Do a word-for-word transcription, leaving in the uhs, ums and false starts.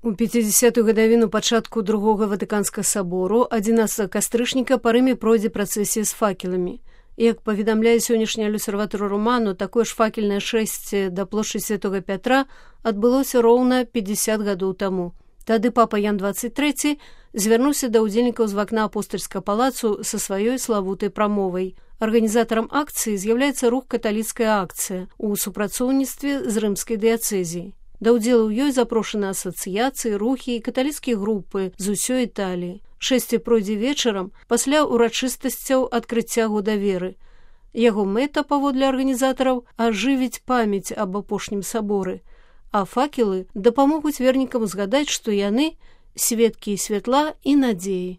У пяцідзясятую гадавіну пачатку другога ватыканскага сабору адзінаццатага кастрычніка па Рыме пройдзе працэсія з факеламі. Як паведамляе сённяшняя L'Osservatore Romano, такое ж факельнае шэсце да плошчы Святога Пятра адбылося роўна пятьдесят гадоў таму. Тады папа Ян двадцать трэці звярнуўся да ўдзельнікаў з вакна апостальскага палацу са сваёй славутай прамовай. Арганізатарам акцыі з'яўляецца рух «Каталіцкая акцыя» у супрацоўніцтве з рымскай дыяцэзіяй. Да ўдзелу ў ёй запрошаны асацыяцыі, рухі і каталіцкія групы з усёй Італіі. Шэсце пройдзе вечарам пасля ўрачыстасцяў адкрыцця года веры. Яго мэта, паводле арганізатараў, ажывіць памяць аб апошнім саборы, а факелы дапамогуць вернікам згадаць, што яны сведкі святла і надзеі.